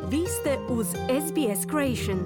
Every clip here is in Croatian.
Vi ste uz SBS Creation.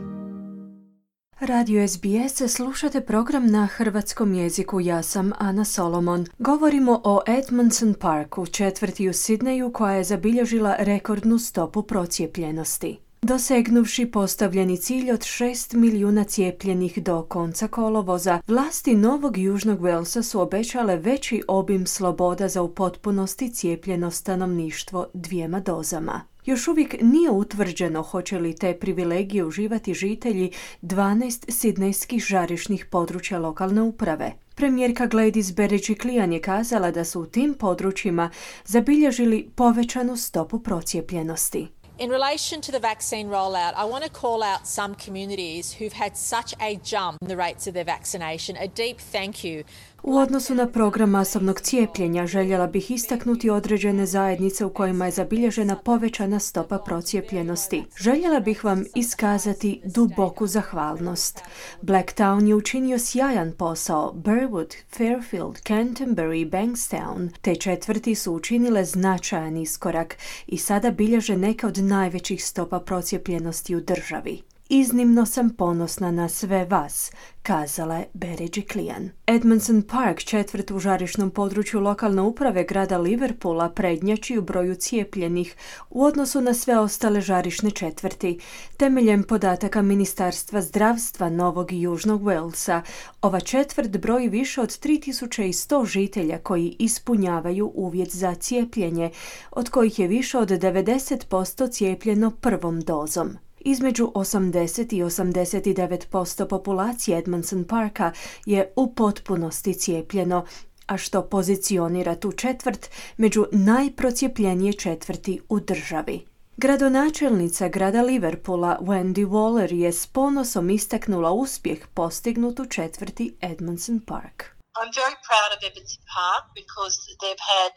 Radio SBS slušate program na hrvatskom jeziku. Ja sam Ana Solomon. Govorimo o Edmondson Parku, četvrti u Sidneju koja je zabilježila rekordnu stopu procijepljenosti. Dosegnuvši postavljeni cilj od 6 milijuna cijepljenih do konca kolovoza, vlasti Novog Južnog Walesa su obećale veći obim sloboda za u potpunosti cijepljeno stanovništvo 2 dozama. Još uvijek nije utvrđeno hoće li te privilegije uživati žitelji 12 sidnejskih žarišnih područja lokalne uprave. Premijerka Gladys Berejiklian je kazala da su u tim područjima zabilježili povećanu stopu procijepljenosti. In relation to the vaccine rollout, I want to call out some communities who've had such a jump in the rates of their vaccination. A deep thank you. U odnosu na program masovnog cijepljenja željela bih istaknuti određene zajednice u kojima je zabilježena povećana stopa procijepljenosti. Željela bih vam iskazati duboku zahvalnost. Blacktown je učinio sjajan posao, Burwood, Fairfield, Canterbury i Bankstown. Te četvrti su učinile značajan iskorak i sada bilježe neke od najvećih stopa procijepljenosti u državi. Iznimno sam ponosna na sve vas, kazala je Berejiklian. Edmondson Park, četvrt u žarišnom području lokalne uprave grada Liverpoola, prednjači u broju cijepljenih u odnosu na sve ostale žarišne četvrti. Temeljem podataka Ministarstva zdravstva Novog i Južnog Walesa, ova četvrt broji više od 3100 žitelja koji ispunjavaju uvjet za cijepljenje, od kojih je više od 90% cijepljeno prvom dozom. Između 80 i 89% populacije Edmondson Parka je u potpunosti cijepljeno, a što pozicionira tu četvrt među najprocijepljenije četvrti u državi. Gradonačelnica grada Liverpoola Wendy Waller je s ponosom istaknula uspjeh postignut u četvrti Edmondson Park. I'm very proud of Edmondson Park because they've had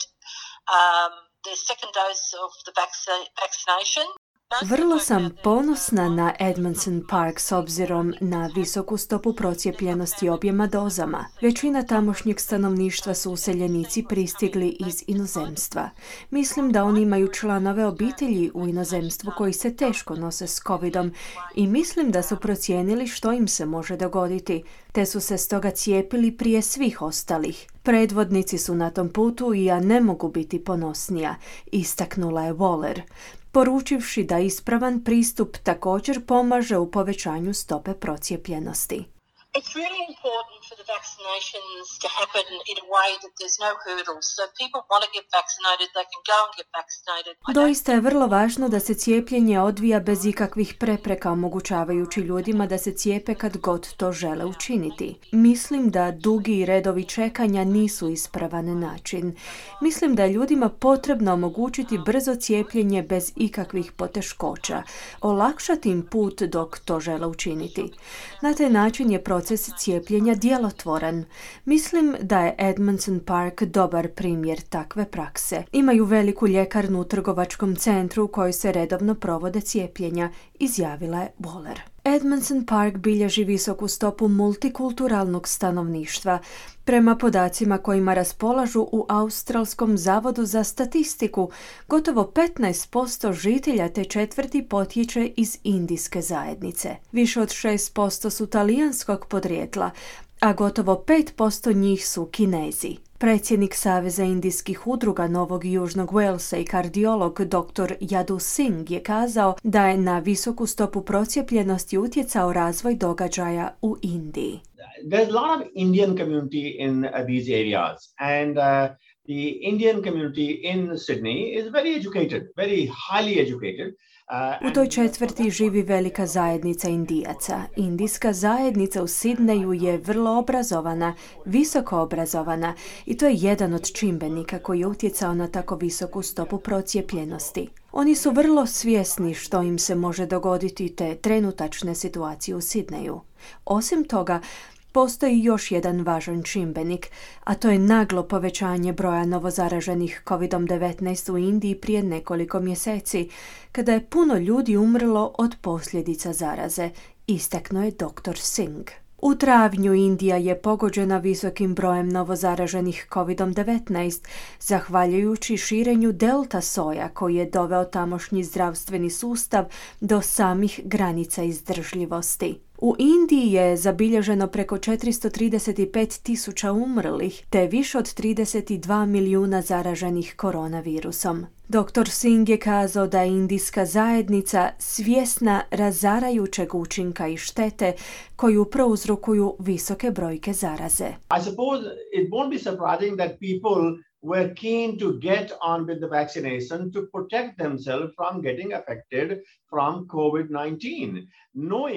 their second dose of the vaccination. Vrlo sam ponosna na Edmondson Park s obzirom na visoku stopu procijepljenosti objema dozama. Većina tamošnjeg stanovništva su useljenici pristigli iz inozemstva. Mislim da oni imaju članove obitelji u inozemstvu koji se teško nose s covidom i mislim da su procijenili što im se može dogoditi, te su se stoga cijepili prije svih ostalih. Predvodnici su na tom putu i ja ne mogu biti ponosnija, istaknula je Waller, poručivši da ispravan pristup također pomaže u povećanju stope procijepljenosti. It's really important for the vaccinations to happen in a way that there's no hurdles. So if people want to get vaccinated, they can go and get vaccinated. Doista je vrlo važno da se cijepljenje odvija bez ikakvih prepreka, omogućavajući ljudima da se cijepe kad god to žele učiniti. Mislim da dugi redovi čekanja nisu ispravan način. Mislim da je ljudima potrebno omogućiti brzo cijepljenje bez ikakvih poteškoća, olakšati im put dok to žele učiniti. Na taj način je proces cijepljenja djelotvoran. Mislim da je Edmondson Park dobar primjer takve prakse. Imaju veliku ljekarnu u trgovačkom centru u kojoj se redovno provode cijepljenja, izjavila je Waller. Edmondson Park bilježi visoku stopu multikulturalnog stanovništva. Prema podacima kojima raspolažu u Australskom zavodu za statistiku, gotovo 15% žitelja te četvrti potječe iz indijske zajednice. Više od 6% su talijanskog podrijetla, a gotovo 5% njih su Kinezi. Predsjednik Saveza indijskih udruga Novog i Južnog Walesa i kardiolog dr. Yadu Singh je kazao da je na visoku stopu procijepljenosti utjecao razvoj događaja u Indiji. There's a lot of Indian community in these areas and the Indian community in Sydney is very educated, very highly educated. U toj četvrti živi velika zajednica Indijaca. Indijska zajednica u Sidneju je vrlo obrazovana, visoko obrazovana i to je jedan od čimbenika koji je utjecao na tako visoku stopu procijepljenosti. Oni su vrlo svjesni što im se može dogoditi te trenutačne situacije u Sidneju. Osim toga, postoji još jedan važan čimbenik, a to je naglo povećanje broja novozaraženih COVID-19 u Indiji prije nekoliko mjeseci, kada je puno ljudi umrlo od posljedica zaraze, istaknuo je dr. Singh. U travnju Indija je pogođena visokim brojem novozaraženih COVID-19, zahvaljujući širenju delta soja koji je doveo tamošnji zdravstveni sustav do samih granica izdržljivosti. U Indiji je zabilježeno preko 435.000 umrlih, te više od 32 milijuna zaraženih koronavirusom. Dr. Singh je kazao da je indijska zajednica svjesna razarajućeg učinka i štete koju prouzrokuju visoke brojke zaraze. I suppose it won't be surprising that people were keen to get on with the vaccination to protect themselves from getting affected from COVID-19.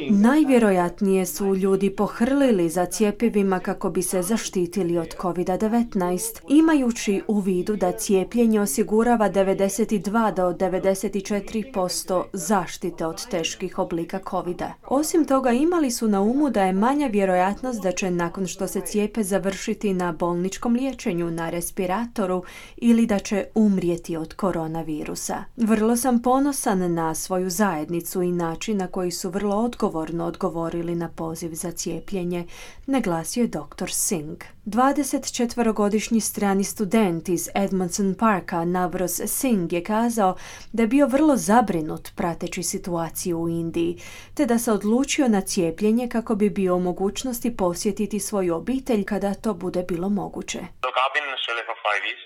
Najvjerojatnije su ljudi pohrlili za cjepivima kako bi se zaštitili od COVID-19, imajući u vidu da cijepljenje osigurava 92 do 94% zaštite od teških oblika COVID-a. Osim toga, imali su na umu da je manja vjerojatnost da će nakon što se cijepe završiti na bolničkom liječenju, na respiratoru ili da će umrijeti od koronavirusa. Vrlo sam ponosan na svoju zajednicu i način na koji su vrlo odgovorno odgovorili na poziv za cijepljenje, naglasio je dr. Singh. 24-godišnji strani student iz Edmondson Parka, Navroz Singh, je kazao da je bio vrlo zabrinut prateći situaciju u Indiji, te da se odlučio na cijepljenje kako bi bio u mogućnosti posjetiti svoju obitelj kada to bude bilo moguće. Look, I've been in Australia for 5 years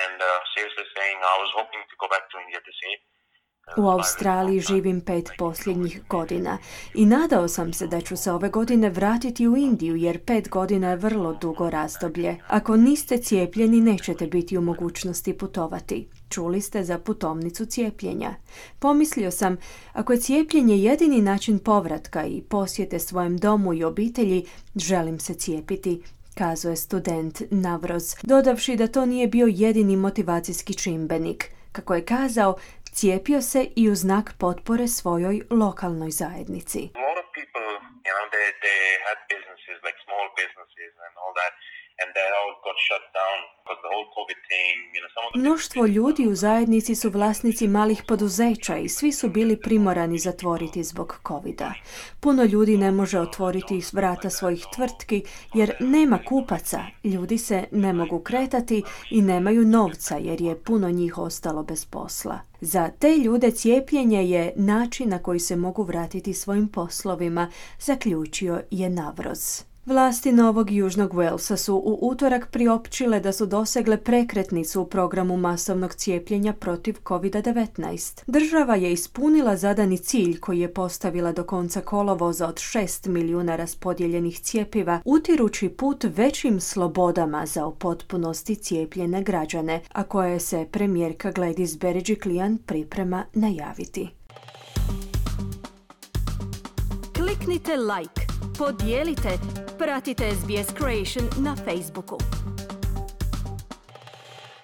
and seriously saying I was hoping to go back to India to see. U Australiji živim 5 posljednjih godina i nadao sam se da ću se ove godine vratiti u Indiju jer 5 godina je vrlo dugo razdoblje. Ako niste cijepljeni, nećete biti u mogućnosti putovati. Čuli ste za putovnicu cijepljenja. Pomislio sam, ako je cijepljenje jedini način povratka i posjete svojem domu i obitelji, želim se cijepiti, kazao je student Navroz, dodavši da to nije bio jedini motivacijski čimbenik. Kako je kazao, cijepio se i u znak potpore svojoj lokalnoj zajednici. Mnoštvo ljudi u zajednici su vlasnici malih poduzeća i svi su bili primorani zatvoriti zbog COVID-a. Puno ljudi ne može otvoriti vrata svojih tvrtki jer nema kupaca, ljudi se ne mogu kretati i nemaju novca jer je puno njih ostalo bez posla. Za te ljude cijepljenje je način na koji se mogu vratiti svojim poslovima, zaključio je Navroz. Vlasti Novog Južnog Walesa su u utorak priopćile da su dosegle prekretnicu u programu masovnog cijepljenja protiv COVID-19. Država je ispunila zadani cilj koji je postavila do konca kolovoza od 6 milijuna raspodijeljenih cjepiva, utirući put većim slobodama za u potpunosti cijepljene građane, a koje se premijerka Gladys Berejiklian priprema najaviti. Kliknite like, podijelite, pratite SBS Creation na Facebooku.